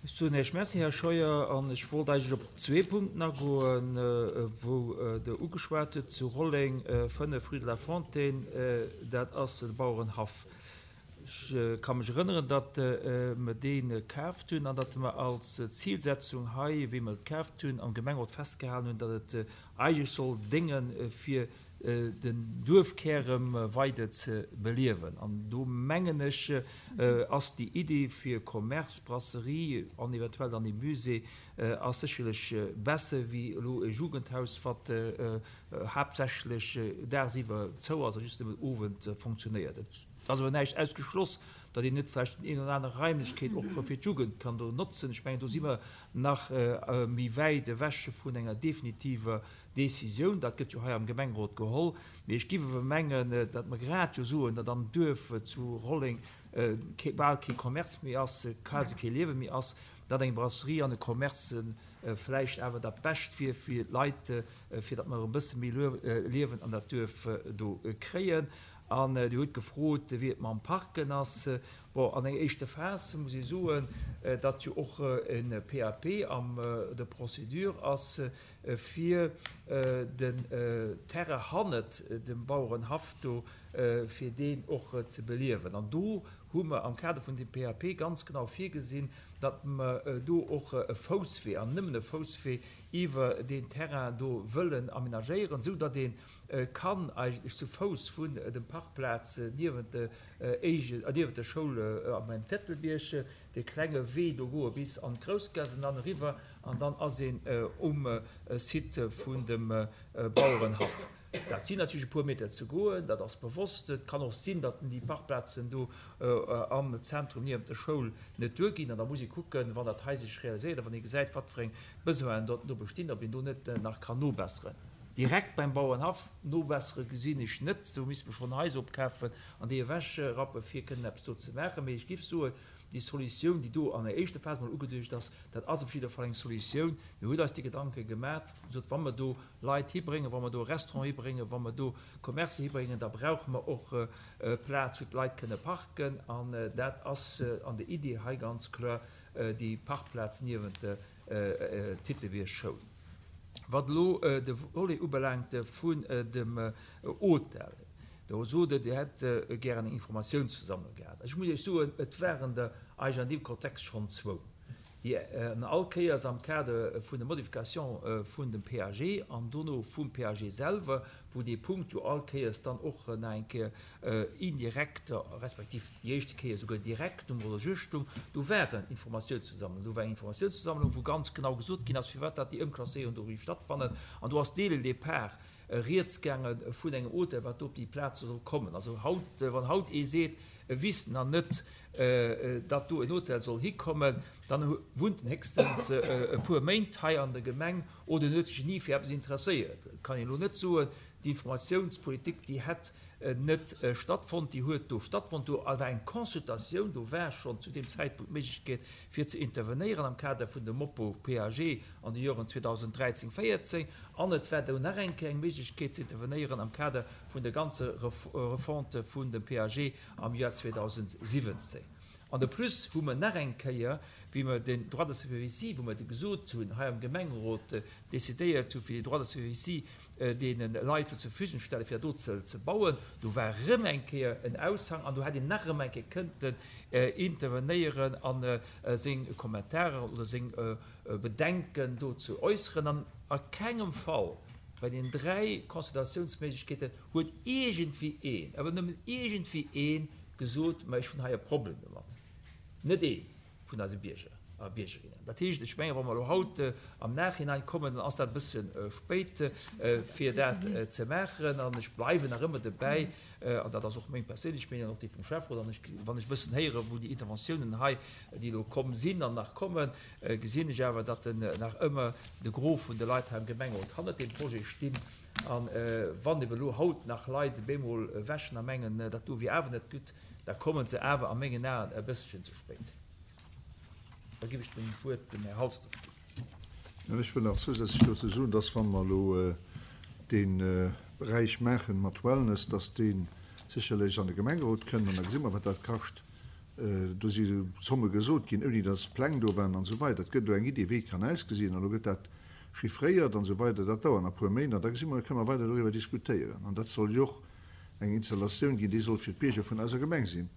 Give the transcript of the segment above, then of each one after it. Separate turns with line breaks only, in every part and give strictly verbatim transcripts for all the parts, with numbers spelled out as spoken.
Ech soen Iech Merci, Här Scheuer, an ech wollt eigentlech op zwee Punkten agoen, wou Der ugeschwat hutt, zu Rolleng, fënnef rue de la Fontaine, dat ass de Bauerenhaff. Ech ka mech erënneren, datt mer dee kaaft hunn an datt mer als Zilsetzung hei, wéi mer et kaaft hunn, am Gemengerot festgehalen hunn, datt et eigentlech soll dénge fir den Duerfkär erëm weider ze beliewen. An do mengen ech, ass déi Iddi fir Commerce, Brasserie an eventuell dann ee Musée ass sécherlech besser wéi elo e Jugendhaus, wat haaptsächlech dagsiwwer zou ass a just nëmmen owend fonctionnéiert. Et ass awer näischt ausgeschloss, datt een net vläicht déi een oder aner Raimlechkeet och fir d'Jugend kann do notzen. Ech mengen, do si mer nach méi wäit ewech vun enger definitiver Décisioun. Dat gëtt jo hei am Gemengerot geholl. Mee ech géif awer mengen, datt mer grad jo soen, datt am Duerf zu Rolleng bal kee Commerce méi ass, quasi kee Liewe méi ass, datt eng Brasserie an e Commerce vläicht awer dat Bescht wier fir d'Leit, fir datt mer erëm e bësse méi Liewen an dat Duerf do kréien. An Dir hutt gefrot, wéi et mam Parken ass. Bon, an enger éischter Phas muss ee soen, datt jo och e P A P an der Procédure ass, fir den Terrain hannert dem Bauerenhaff do, fir deen och ze beliewen. An do hu mer am Kader vun deem P A P ganz genau virgesinn, datt mer do och e Fousswee, an nëmmen e Fousswee, iwwer deen Terrain do wëllen amenagéieren, esou datt ee kann eigentlech zu Fouss vun dem Parkplaz niewent de niewent der Schoul am Tëtelbierg de klenge Wee do goe bis an d'Groussgaass an dann eriwwer, an dann ass een um Site vun dem Bauerenhaff. Dat sinn natierlech e puer Meter ze goen, dat ass bewosst. Et kann och sinn, datt déi Parkplazen do am Zentrum niewent der Schoul net duerginn. An da muss ee kucken, wann dat hei sech realiséiert a wann ee gesäit, wat fir eng Besoinen do bestinn, ob een do net nach kann nobesseren. Direkt beim Bauerenhaff nobessere gesinn ech net. Do misste mer schonn Haiser opkafen an déi ewechrappen, fir kënnen eppes do ze maachen. Mee ech géif soen, déi Solutioun, déi do an der éischter Phas mol ugeduecht ass, dat ass op jidder Fall eng Solutioun. Mir hunn eis déi Gedanke gemat, gesot, wa mer do Leit hibréngen, wa mer do e Restaurant hibréngen, wa mer do Commercë hibréngen, da brauche mer och Plaz, wou d'Leit kënne parken. An dat ass an der Iddi hei ganz kloer déi Parkplaz niewent der Titelbierg Schoul. Wat elo de Volet ubelaangt vun dem Hotel, do sot Der, Dir hätt gären eng Informatiounsversammlung gehat. Ech muss Iech soen, et waren der eigentlech an deem Kontext schonn zwou, déi an all Kéiers am Kader vun der Modification vun dem P A G an dono vum P A G selwer, wou dee Punkt jo all Kéiers dann och nach eng Kéier indirekt, respektiv déi éischte Kéier souguer direkt um Roller stung, do waren Informatiounsversammlungen. Do war eng Informatiounsversammlung, wou ganz genau gesot ginn ass, firwat dat déi Ëmklasséierung do géif stattfannen. An do ass dès le départ rieds gaange vun engem Hotel, wat do op déi Plaz soll kommen. Also haut, wann haut ee seet, e wüsst nach net, datt do en Hotel soll hikommen, dann wunnt en héchstens e puer Méint hei an der Gemeng oder en huet sech ni fir eppes interesséiert. Et kann een elo net soen, d'Informatiounspolitik, déi hätt net stattfonnt. Déi huet do stattfonnt. Do war eng Consultatioun, do war schonn zu deem Zäitpunkt d'Méiglechkeet fir ze intervenéieren am Kader vun dem Moppo P A G an de Joren zweedausendräizéng, véierzéng, an et war do nach eng Kéier eng Méiglechkeet ze intervenéieren am Kader vun der ganzer Refonte vun dem P A G am Joer zweedausendsiwwenzéng. An de plus hu mer nach eng Kéier, wéi mer den Droit de superficie, wou mer gesot hunn, hei am Gemengerot decidéiert hu fir déi Droit de superficie deene Leit zur Verfügung stellen, fir do ze ze bauen, do war erëm eng Kéier en Aushang an do hätt een nach erëm eng Kéier kënnten intervenéieren an seng Kommentaren oder seng Bedenken do ze äusseren. An a kengem Fall bei den dräi Consultatiounsméiglechkeeten huet iergendwéi een, awer nëmmen iergendwéi een, gesot, ma ech hunn hei e Problem domat. Net ee vun eise Bierger a Biergerinnen. Dat heescht, ech mengen, wa mer elo haut am Nachhinein kommen, dann ass dat e bësse spéit, fir dat ze maachen. An ech bleiwen nach ëmmer dobäi, an dat ass och meng perséinlech Meenung an och déi vum Schäfferot, an ech, wann ech e bëssen héieren, wou déi Interventiounen hei, déi elo komm sinn an nach kommen, gesinn ech awer, datt nach ëmmer de Gros vun de Leit hei am Gemengerot hannert deem Projet stinn. A wann ebe elo haut nach Leit bemol wäschen a mengen, dat do wier awer net gutt, da kommen se awer a mengen Aen e bësschen ze spéit. Da ginn ech dem Wuert dem Här Halsdorf.
Ech wëll nach zousätzlech dozou soen, dass, wa mer elo dee Beräich maache mat Wellness, dass dee sécherlech an de Gemengerot kënnt an da gesi mer, wat dat kascht. Do si Zomme gesot ginn, ouni datt Pläng do waren an esou weider. Et gëtt elo eng Idee, wéi et kann ausgesinn, an elo gëtt dat chiffréiert an esou weider. Dat dauert nach e puer Méint an da gesi mer, da kënne mer weider doriwwer diskutéieren. An dat soll jo och eng Installatioun ginn, déi soll fir d'Bierger vun eiser Gemeng sinn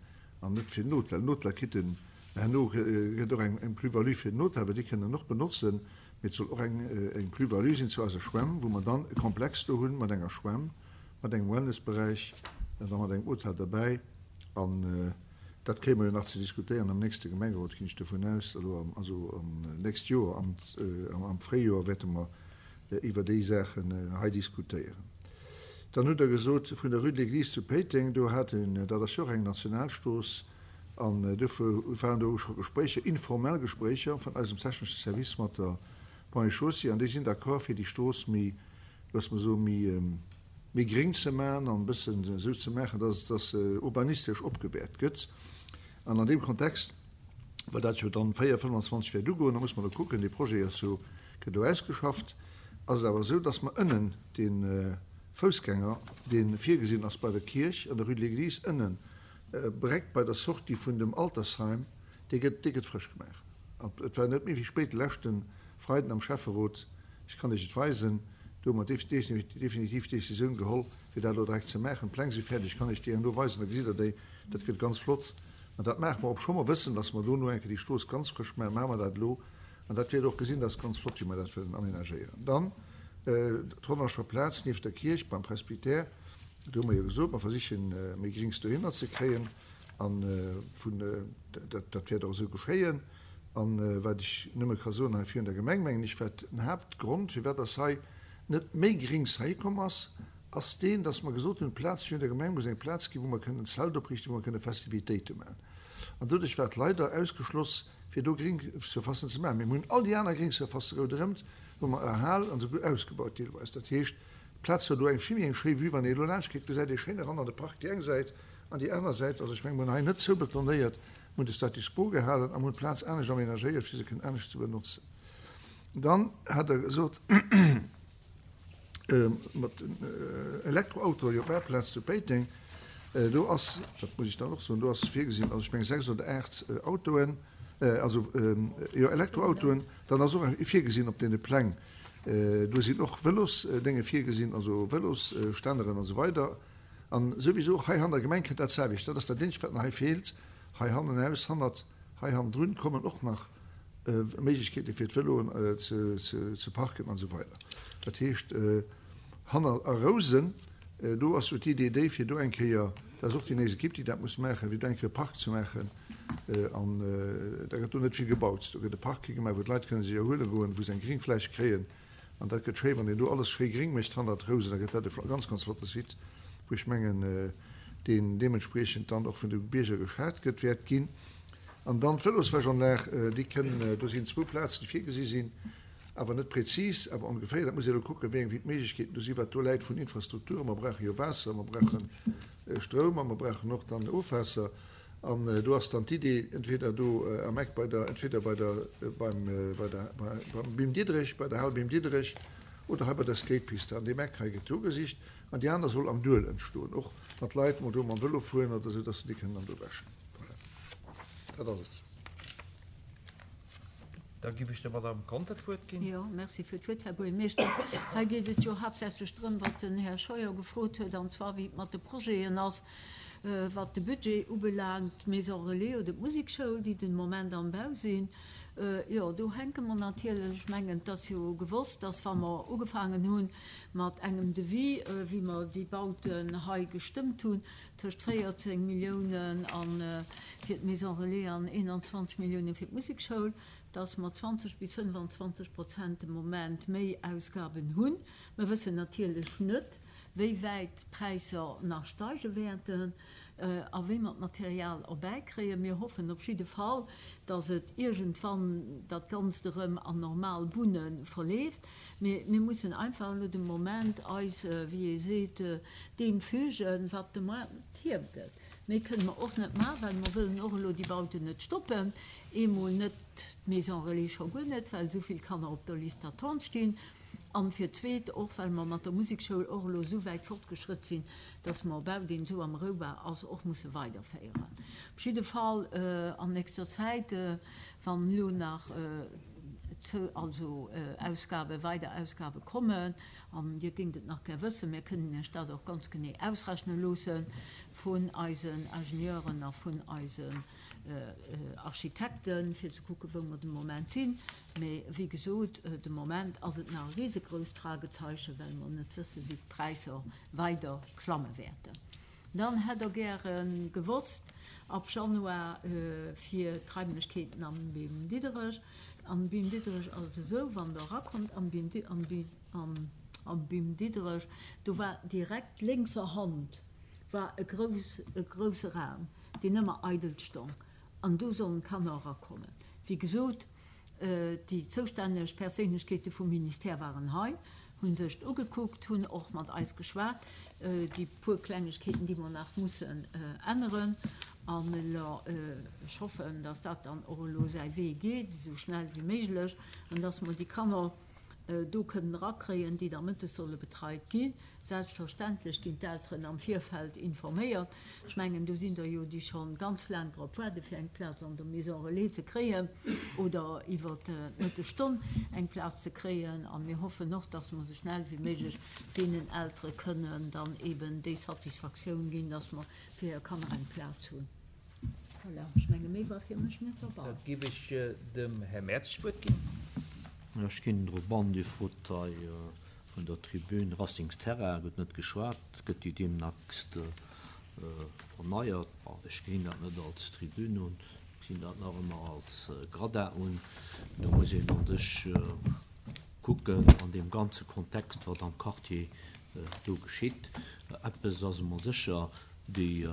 an net fir den Hotel. Den Hotel kritt en herno, gëtt och eng Plus-value fir den Hotel, well déi kënnen en och benotzen, mee et soll och eng eng Plus-value sinn zu eiser Schwämm, wou mer dann e Komplex do hunn mat enger Schwämm, mat engem Wellnessberäich an da mat engem Hotel derbäi. An dat kréie mer jo nach ze diskutéieren am nächste Gemengerot, ginn ech dovun aus. Elo am, also am nächst Joer, am, am Fréijoer wäerte mer iwwer déi Saachen hei diskutéieren. Dann hutt Der gesot, vun der Rue de l'Église zu Péiteng, do hat een, dat ass jo och eng Nationalstrooss, an dofir waren do scho Gespréicher, informell Gespréicher vun eisem technesche Service mat der Ponts et Chaussées, an déi sinn d'accord, fir déi Strooss méi, loosse mer soen, méi, méi gréng ze maachen an e bëssen esou ze maachen, dass dass se urbanistesch opgewäert gëtt. An an deem Kontext, well dat jo dann véier, fënnwanzwanzeg wäert ugoen, da muss mer elo kucken, dee Projet ass jo, gëtt elo ausgeschafft, ass et awer esou, dass mer ënnen dee Foussgänger, dee virgesinn ass bei der Kierch an der Rue de l'Église, ënnen Bréck bei der Sortie vun dem Altersheim, dee gëtt, dee gëtt frësch gemaach. An et war net méi wéi spéit, de leschte Freiden am Schäfferot, ech kann Iech et weisen, do hu mer definitiv d'Décisioun geholl, fir dat elo direkt ze maachen. D'Pläng si fäerdeg, ech kann Iech déi herno weisen, da gesitt Der déi. Dat gëtt ganz flott. An dat maache mer, obscho mer wëssen, dass mer dono eng Kéier déi Strooss ganz frësch maachen, maache mer dat elo. An dat wäert Der och gesinn, dat ass ganz flott, wéi mer dat wëllen aménagéieren. Dann d'Honnerscher Plaz nieft der Kierch beim Presbytère, do hu mer jo gesot, mer versichen, méi Grings dohinner ze kréien. A vun, dat, dat wäert och esou geschéien. A wat ech nëmme ka soen hei virun der Gemeng, mengen ech, wat den Haaptgrond, firwat dass hei net méi Grings heihi komm ass, ass deen, dass mer gesot hunn, d'Plaz virun der Gemeng muss eng Plaz ginn, wou mer kënnen en Zelt opriichten, wou mer kënne Festivitéite maachen. An doduerch war et leider ausgeschloss, fir do Gringsurfacen ze maachen. Mee mir hunn all déi aner Gringsurfacë rouderëmt, hu mer erhal an esouguer ausgebaut deelweis. Dat heescht, d'Plaz huet elo eng vill méi eng schéi Vue. Wann ee elo laanscht geet, gesäit ee schéin eran an de Park déi eng Säit an déi aner Säit. Also ech mengen, mir hunn hei net zoubetonéiert, mir hunn de Status quo gehalen a mir hunn d'Plaz anescht aménagéiert, fir se kënnen anescht ze benotzen. Dann hat Der gesot, mat den Elektroautoe, jo, Parkplaz zu Péiteng, do ass, dat muss ech dann och soen, do ass virgesinn, also ech mengen sechs oder aacht Autoen, also jo Elektroautoen, dann ass och virgesinn op deene Pläng, do sinn och Vëlosdénge virgesinn, also Vëlosstänneren an esou weider. An souwisou och hei an der Gemeng kënnt dat selwecht. Dat ass dat eenzegt, wat nach hei feelt. Hei hannenaus, hannert hei hannendrun kommen och nach Méiglechkeete fir d'Vëloen ze parken an esou weider. Dat heescht, hanner a Rousen, do ass jo d'Idee déi, fir do eng Kéier, dat ass och déi nächst Ekipp, déi dat muss maachen, fir do eng Kéier e Park ze maachen. An da gëtt do net vill gebaut. Do gëtt e Park higemaach, wou d'Leit kënne sech erhuele goen, wou se eng Gringfläch kréien. An dat gëtt schéi, wann een do alles schéi gréng mécht hannert Rousen, da gëtt dat e ganz, ganz flotte Site, wou ech mengen, deen deementspriechend dann och vun de Bierger geschat gëtt, wäert ginn. An dann d'Vëloswäschanlag, déi kënn, do sinn zwou Plazen, déi virgesi sinn, awer net prezis, awer ongeféier. Dat muss ee elo kucken, wéi eng, wéi d'Méiglechkeeten do sinn, wat do läit vun Infrastrukturen. Mer brauche jo Waasser, mer brauche Stroum a mer brauchen och dann Ofwaasser. An do ass dann d'Idee, entweder do am Eck bei der, entweder bei der, beim, bei der, beim Bim Diderich, bei der Hal Bim Diderich oder hei bei der Skatepiste an deem Eck hei gëtt do gesicht. An déi aner soll am Duel entstoen, och mat Leit mol do mam Vëlo fueren oder esou, dass se déi kënnen dann do wäschen. Voilà, dat ass et.
Da giff ech der Madame Conter d'Wuert ginn.
Jo, merci fir d'Wuert, Här Buergermeeschter. Hei geet et jo haaptsächlech drëm, wat den Här Scheuer gefrot huet, an zwar wéi et mat de Projeten ass, wat de Budget ubelaangt, d'Maison relais oder d'Musekschoul, déi den Moment am Bau sinn. Jo, do hänke mer natierlech. Ech mengen, et ass jo gewosst, dass wa mer ugefaangen hu mat engem Devis, wéi mer déi Bauten hei gestëmmt hunn, tëscht véierzéng Milliounen a fir d'Maison relais an eenanzwanzeg Milliounen fir d'Musekschoul, dass mer zwanzeg bis fënnefanzwanzeg Prozent de Moment méi Ausgaben hunn. Mer wëssen natierlech net, wéi wäit d'Präisser nach steige wäerten a wéi mer d'Material erbäikréien. Mir hoffen op jidde Fall, dass et iergendwann dat Ganzt erëm an normal Bunne verleeft. Mee mir mussen einfach elo de Moment eis, wéi ee seet, deem fügen, wat de Moart hiergëtt. Méi kënne mer och net maachen, well mer wëllen och elo déi Bauten net stoppen. Eemol net d'Maison relais, scho guer net, well esou vill Kanner op der Liste d'attente stinn. An fir d'Zweet och, well mer mat der Musekschoul och elo esou wäit fortgeschrëtt sinn, dass mer e Bau, deen esou am Roubau ass, och musse weiderféieren. Op jidde Fall an nächster Zäit, wann elo nach also Ausgaben, weider Ausgabe kommen, an Dir géingt et nach gär wëssen, mir kënnen Iech dat och ganz genee ausrechne loosse vun eisen Ingenieuren a vun eisen Architekten, fir ze kucken, wou mer de Moment sinn. Mee wéi gesot, de Moment ass et nach e risegrousst Fragezeichen, well mer net wëssen, wéi d'Präisser weider klamme wäerten. Dann hätt Der gäre gewosst, ab Januar fir d'Raimlechkeeten am Bim Diderich. Am Bim Diderich ass et esou, wann Der erakommt am Bim am Bim Diderich, do war direkt lénkser Hand war e grouss e grousse Raum, deen ëmmer eidel stong, an do sollen d'Kanner erakommen. Wéi gesot, déi zoustänneg Perséinlechkeete vum Ministère waren hei, hu sech et ugekuckt, hunn och mat eis geschwat, déi puer Klengegkeeten, déi mer nach mussen änneren. An elo, ech hoffen, dass dat dann och elo säi Wee geet, esou schnell wéi méiglech, an dass mer déi Kanner do kënnen erakréien, déi da mëttes solle betreit ginn. Selbstverständlech ginn d'Elteren am Virfeld informéiert. Ech mengen, do sinn der jo, déi scho ganz laang drop waarde fir eng Plaz an der Maison relais ze kréien oder iwwer d'Mëttesstonn eng Plaz ze kréien. A mir hoffen och, dass mer esou schnell wéi méiglech deenen Eltere kënnen dann eben déi Satisfaktioun ginn, dass mer fir hir Kanner eng Plaz hunn. Voilà, ech menge méi war fir mech net derbei.
Da géif ech dem Här Merz d'Wuert ginn.
Ech ginn drop an, Dir frot hei vun der Tribün, Racingsterrain gëtt net geschwat, gëtt déi deemnächst erneiert? Bon, ech gesinn dat net als Tribün un, ech gesinn dat nach ëmmer als Gradin un. Do muss een an sech kucken an deem ganze Kontext, wat am Quartier do geschitt. Eppes ass emol sécher, déi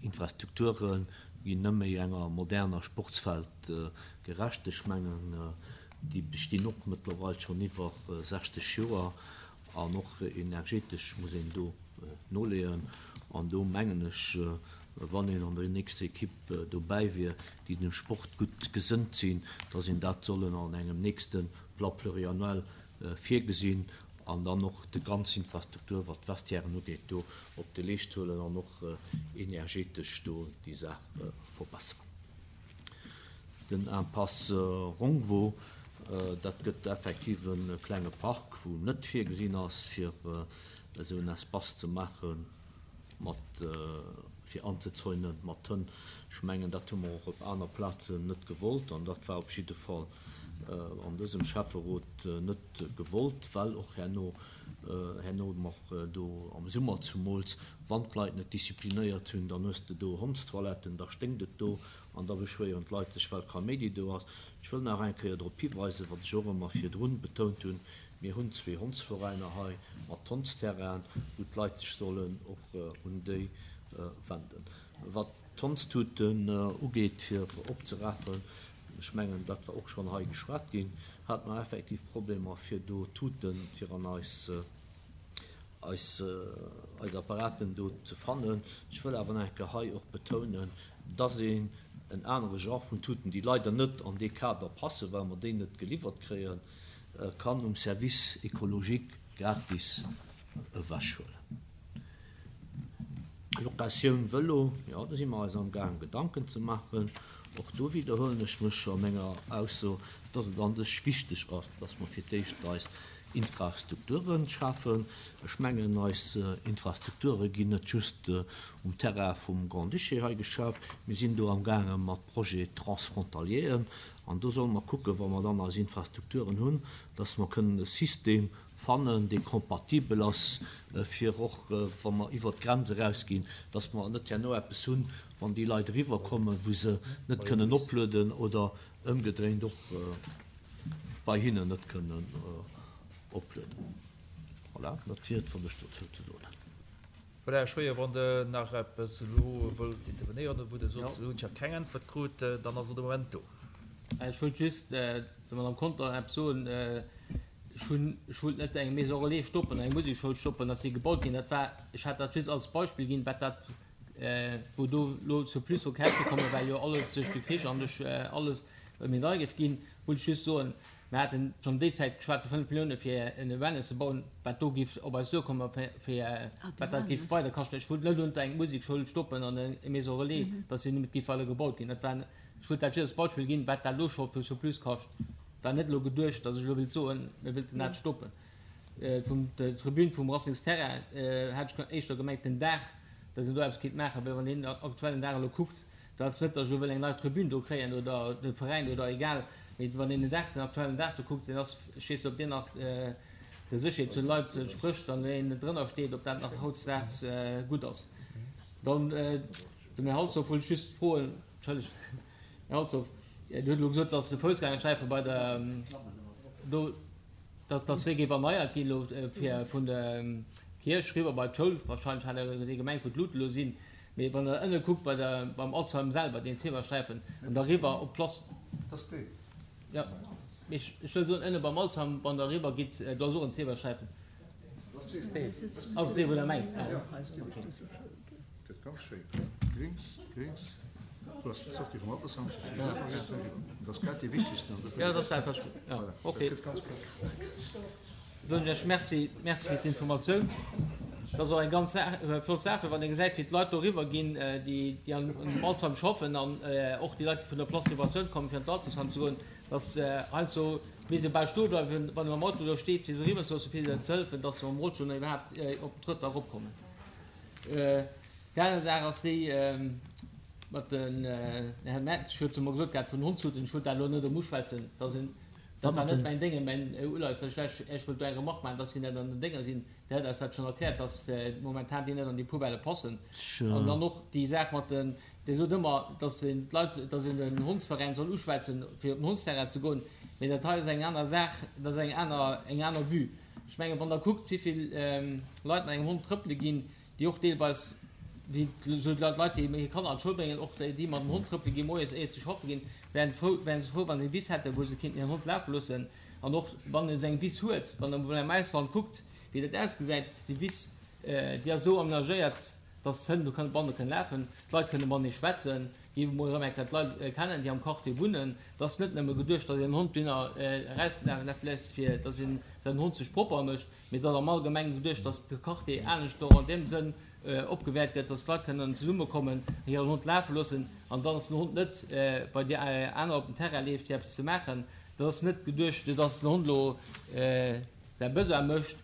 Infrastrukture ginn net méi enger moderner Sportswelt gerecht. Ech mengen, déi bestinn och mëttlerweil schonn iwwer sechzeg Joer an och energetesch muss een do noleeën. An do mengen ech, wann een an der nächster Equipe dobäi wier, déi dem Sport gutt gesënnt sinn, dass een dat sollen an engem nächste Plan pluriannuel virgesinn an dann och déi ganz Infrastruktur, wat d'Vestiairen ugeet, do op de Leescht huelen an och energetesch do déi Saach verbessern. Den Impasse Rongvaux, dat gëtt effektiv e klenge Park, wou net virgesinn ass, fir esou en Espace ze maache mat, fir anzezäunen mat Hënn. Ech mengen, dat hu mer och op aner Plazen net gewollt an dat war op jidde Fall an dësem Schäfferot net gewollt, well och herno, herno mer do am Summer zumools, wann d'Leit net disziplinéiert hunn, dann hues de do Hondstoiletten, da sténkt et do an da beschwéieren d'Leit sech, well Kaméidi do ass. Ech wëll nach eng Kéier drop hiweisen, wat ech och ëmmer virdrun betount hunn, mir hunn zwee Hondsveräiner hei mat Hondsterrainen, wou d'Leit sech sollen och un déi wenden. Wat d'Hondstuten ugeet, fir opzerafen, ech mengen, dat war och schonn hei geschwat ginn, hat mer effektiv Problemer, fir do Tuten fir an eis, eis, eis Apparaten do ze fannen. Ech wëll awer nach eng Kéier hei och betounen, dass een en anere Genre vun Tuten, déi leider net an dee Kader passen, well mer déi net geliwwert kréien, kann um Service écologique gratis ewechhuelen. Locatioun Vëlo, jo, do si mer eis am Gaang Gedanken ze maachen. Och do widderhuelen ech mech a menger Ausso, dass et an sech wichteg ass, dass mer fir d'éischt eis Infrastrukturen schafen. Ech mengen, eis Infrastrukture ginn net just um Terrain vum Grand-Duché hei geschaf. Mir sinn do am Gaange mat Projets transfrontalieren. An do solle mer kucken, wa mer dann eis Infrastrukturen hunn, dass mer kënnen e System fannen, dee kompatibel ass, fir och, wa mer iwwer d'Grenz erausginn, dass mer net herno eppes hunn, wann déi Leit eriwwerkommen, wou se net kënnen oplueden oder ëmgedréint och bei hinnen net kënnen oplueden. Voilà, dat wier et, wat ech dozou ze soen hätt.
Voilà, Här Scheuer, wann Der nach eppes elo wëllt intervenéieren, oder wou Der sot, elo hunn ech nach keng Äntwert krut, dann ass elo de Moment do.
Ech wollt just der Madame Conter eppes soen. Ech hunn, ech wollt net eng Maison relais stoppen, eng Musekschoul stoppen, dass déi gebaut ginn. Dat war, ech hat dat just als Beispill ginn, wat dat, wou do elo zu plus vu Käschte kommen, well jo alles duerch de Krich an duerch alles méi deier géif ginn, wollt ech just soen, mir haten schonn déi Zäit geschwat vu fënnef Millioune fir en Wellness ze bauen, wat do géif op eis duerkommen, fir wat dat géif weider kaschten. Ech wollt net unter eng Musekschoul stoppen an eng Maison relais, datt se net géif weider gebaut ginn. Dat war, ech wollt dat just als Beispill ginn, wat dat elo scho fir Surplus kascht. War net elo geduecht, datt ech elo wéilt soen, mir wéilten dat stoppen. Vun der Tribün vum Racingsterrain hat ech éischter gemengt den Daach, datt een do eppes kéint maachen, well wann een den aktuellen Daach elo kuckt, dat ass net, datt ech elo wëll eng nei Tribün do kréien oder de Veräin oder egal, mee wann een den Daach, den aktuellen Daach do kuckt, deen ass, ech weess net, ob deen nach der Sécherheet vun de Leit entsprécht, wann een drënner steet, ob dat nach hautdesdaags gutt ass. Dann dem Här Halsdorf wollt ech just froen, entschëllegt, Här Halsdorf, Dir hutt elo gesot, datt de Foussgängersträife bei der do, datt dee géif erneiert ginn elo fir vun der Kierch riwwer bei d'Schoul, wahrscheinlech hat Der dee gemengt, wou d'Luten elo sinn. Mee wann Der ënne kuckt bei der, beim Alzheim selwer, deen Zebrasträifen, an da riwwer op d'Place.
Dat ass deen.
Jo, mee ech wëll soen, ënne beim Alzheim, wann Der eriwwer gitt, do ass och en Zebrasträifen. Ass dee, wou Der mengt?
Jo, gëtt ganz schéin. Gréngs, gréngs. Do ass d'Sortie vum Altersheim, dat ass grad dee wichtegsten.
Jo, dat ass dat, wat ech, jo, okay. Soen ech lech Merci, Merci fir d'Informatioun. Dat ass och eng ganz flott Saach, well wann ee gesäit, wéi d'Leit do eriwwer ginn, déi déi an dem Alzheim schaffen an och déi Leit, déi vun der Place Libératioun kommen, fir an d'Altersheim ze goen, dass heiansdo misst ee bal stoe bleiwen, wann ee mam Auto do steet, fir se eriwwer ze loossen, fir hinnen ze hëllefen, dass se mam Rollstull nach iwwerhaapt op den Trëttoir eropkommen. Déi aner Saach ass déi mat den, den Här Metz huet se emol gesot gehat, vun den Hondshuten, ech wollt dat elo net erëm uschwätzen, dass een, dat war net mäin Déngen, mäin Uleies, ech ech wollt do eng Remarque maachen, dass si net an den Dénger sinn. Der huet eis dat schonn erkläert, dass momentan déi net an déi Poubellë passen. An dann och déi Saach mat den, Dir sot ëmmer, dass een d'Leit, dass een den Hondsveräin soll uschwätzen, fir op den Hondsterrain ze goen. Mee dat hei ass eng aner Saach, dat ass eng aner, eng aner Vue. Ech mengen, wann Der kuckt, wéi vill Leit mat engem Hond trëppele ginn, déi och deelweis, déi esou d'Leit, déi hir Kanner an d'Schoul bréngen, och déi mat dem Hond trëppele ginn moies, éiert se schaffe ginn, wären frou, wären se frou, wa se eng Wiss hätten, wou se kéinten hiren Hond lafe loossen. An och wann een esou eng Wiss huet, wann Der emol am Ausland kuckt, wéi dat ausgesäit, déi Wiss, déi ass esou amenagéiert, dass d'Hënn do kënnen banne kënnen lafen, d'Leit kënne matenee schwätzen, déi emol erëm eng Kéier d'Leit kennen, déi am Quartier wunnen. Et ass net nëmme geduecht, dass een den Hond dohinner erauslafe léisst, fir dass een säin Hond sech propper mécht, mee et ass am Allgemengen geduecht, dass de Quartier anescht och an deem Sënn opgewäert gëtt, dass d'Leit kënnen zesummekommen, hiren Hond lafe loossen an dann, dass den Hond net bei déi aner op den Terrain leeft, fir eppes ze maachen. Dat ass net geduecht, dass den Hond elo säi Besoin mécht.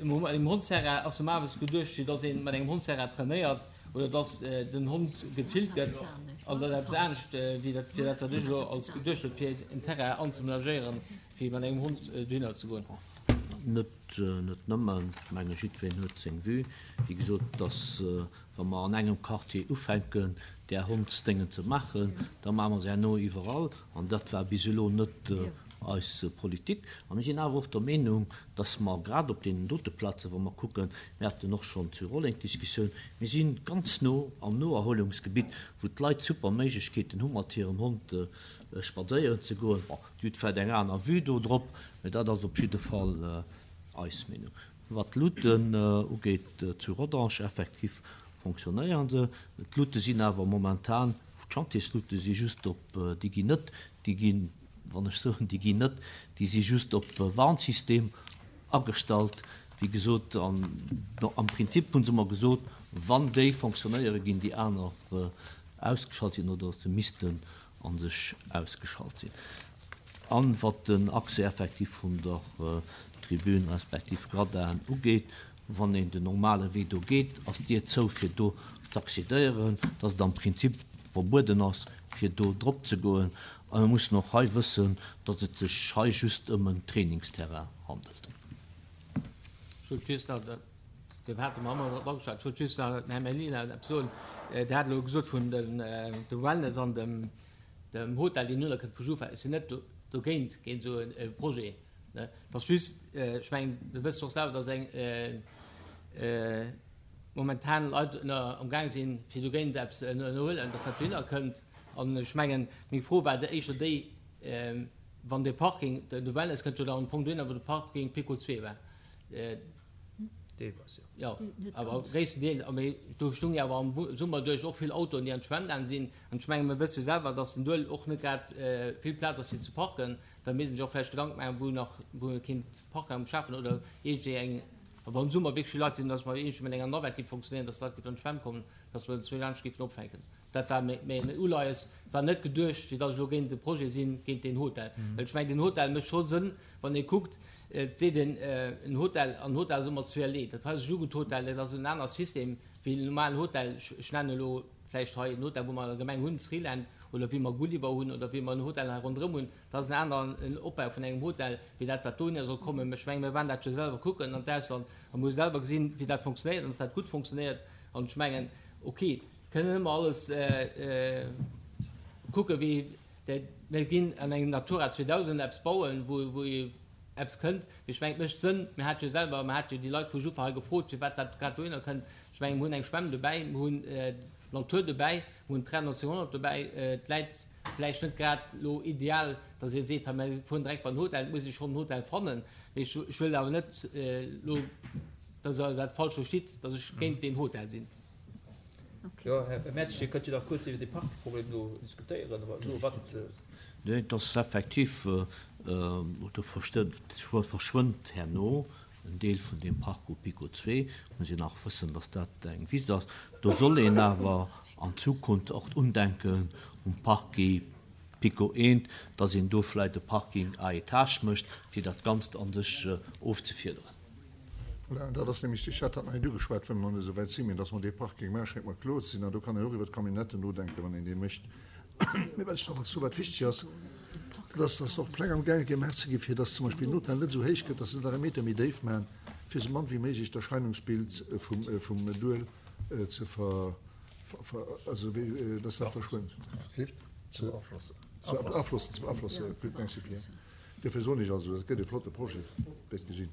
Um Hondsterrain ass normalerweis geduecht, fir dass ee mat engem Hondsterrain trainéiert oder dass den Hond gezillt gëtt. An dat ass eppes anescht wéi dat, fir dat, wat ech elo als geduecht hunn, fir en Terrain anzemenagéieren, fir mat engem Hond dohinner ze goen.
Net, net nëmmen. Ech menge jiddwereen huet seng Vue. Wéi gesot, dass wa mer an engem Quartier ufänken, där Hondsdéngen ze maachen, da maache mer se herno iwwerall. An dat war bis elo net eis Politik. A mir sinn awer och der Meenung, dass mer grad op deenen dote Plazen, wa mer kucken, mir haten och schonn zu Rolleng d'Diskussioun, mir si ganz no am Noerholungsgebitt, wou d'Leit super Méiglechkeeten hu mat hirem Hond spadséieren ze goen. Bon, Dir hutt vläicht eng aner Vue do drop, mä dat ass op jidde Fall eis Meenung. Wat d'Luuten ugeet zu Rodange, effektiv fonctionnéieren se. D'Luute sinn awer momentan, d'Chantierslute si just op, déi ginn net, déi ginn, wann ech soen, déi ginn net, déi si just op Warnsystem agestallt, wéi gesot. An am Prinzip hu se mer gesot, wann déi fonctionnéieren, ginn déi aner ausgeschalt sinn oder se missten a sech ausgeschalt sinn. An wat den Accès effektiv vun der Tribün respektiv Gradin ugeet, wann een den normale Wee do geet, ass d'Dier zou fir do z'accédéieren, dass et am Prinzip verbueden ass fir do drop ze goen. A mir mussen och hei wëssen, datt et sech hei just ëm en Trainingsterrain handelt.
Ech wollt just nach, dat hate mer ëmmer drop ageschwat, ech wollt just nach dem Här Mellina eppes soen. Dir hat elo gesot vun dem Wellness an dem Hotel, deen elo kënnt vu Jufa. Ech sinn net dogéint, géint esou e Projet. Et ass just, ech mengen, Dir wësst och selwer, datt eng momentan Leit amgaang sinn, fir dogéint eppes ze ënnerhuelen, datt dat dohinner kënnt. An ech mengen, meng Fro war éischter déi, wann dee Parking, de Wellness kënnt jo dann am Fong dohinner, wou de Parking Picot zwee war.
Deelweis, jo.
Jo, awer gréissten Deel. A mee do stoung jo awer am Summer duerch och vill Autoen, déi an d'Schwämm gaang sinn. An ech menge mir wësse jo selwer, datt den Duel och net grad vill Plaz ass fir ze parken. Da misst een sech och vläicht Gedanken maachen, wou nach, wou ee kéint Parkraum schafen oder iergendwéi eng, a wann am Summer wierklech vill Leit sinn, datt mer iergendwéi mat enger Navette géif fonctionnéieren, datt d'Leit géifen an d'Schwämm kommen, datt mer zwee laanscht géifen opfänken. Dat war mäin Uleies. Et war net geduecht, fir datt ech elo géint de Projet sinn, géint deen Hotel. Well ech mengen, den Hotel mécht scho Sënn, wann ee kuckt, et seet een, en Hotel, an Hotel ass ëmmer zweerlee. Dat hei ass e Jugendhotel, dat ass en aner System wéi en normalen Hotel. Ech nennen elo vläicht hei en Hotel, wou mer an der Gemeng hunn, Sriland, oder wéi mer Gulliver hunn, oder wéi mer en Hotel hei ronderëm hunn. Dat ass en aneren Opbau vun engem Hotel, wéi dat, wat dohinner soll kommen. Mä ech mengen, mir waren dat jo selwer kucken an d'Ausland a mir hu selwer gesinn, wéi dat fonctionnéiert an datt dat gutt fonctionnéiert. An ech mengen, okay, Kënnen ëmmer alles kucken, wéi mir ginn an engem Natura zweedausend eppes bauen, wou ee eppes kënnt. Mee ech mengen, et mécht Sënn. Mir hate jo selwer, mir hate jo déi Leit vu Juffer hei gefrot, firwat dat grad dohinner kënnt. Ech mengen, mir hunn eng Schwämm dobäi, mir hunn d'Natur dobäi, mir hunn d'Train neunzehnhundert dobäi. Et läit vläicht net grad elo ideal, datt ee seet, hei mir fueren direkt bei den Hotel. Et muss ee schonn en Hotel fannen. Mee ech wëll awer net elo, datt Der dat falsch verstitt, datt ech géint deen Hotel sinn.
Jo, Här Mertz, Dir kënnt jo nach kuerz iwwer dee Parkproblem do diskutéieren, awer elo wat.
Nee, et ass effektiv, do verschwënnt herno en Deel vun deem Parc au PiKo zwee. Muss een nach wëssen, datt dat eng Wiss ass. Do soll een awer an Zukunft och undenken um Parc PiKo eent, datt een do vläicht e Parking à étages mécht, fir dat Ganzt a sech ofzefiederen.
Voilà, an dat ass nämlech, ech hat dat nach net ugeschwat, well mer nach net esou wäit sinn, mä dass mer dee Parking maachen, schéngt mer kloer ze sinn. An do kann een och iwwer d'Camionnetten nodenken, wann een dee mécht. Mä wat ech nach wollt soen, wat wichteg ass, dat ass, dass och Pläng amgaange gemaach ze ginn, fir dass zum Beispill den Hotel net esou héich gëtt, dass se nach e Meter méi déif maachen, fir esou mann wéi méiglech d'Erscheinungsbild vum, vum Duel ze ver, ver, also wéi, dass dat verschwënnt. Ze beaflossen, ze beaflossen, gutt, merci Pierre. Duerfir soen ech also, dat gëtt e flotte Projet, wäert gesinn.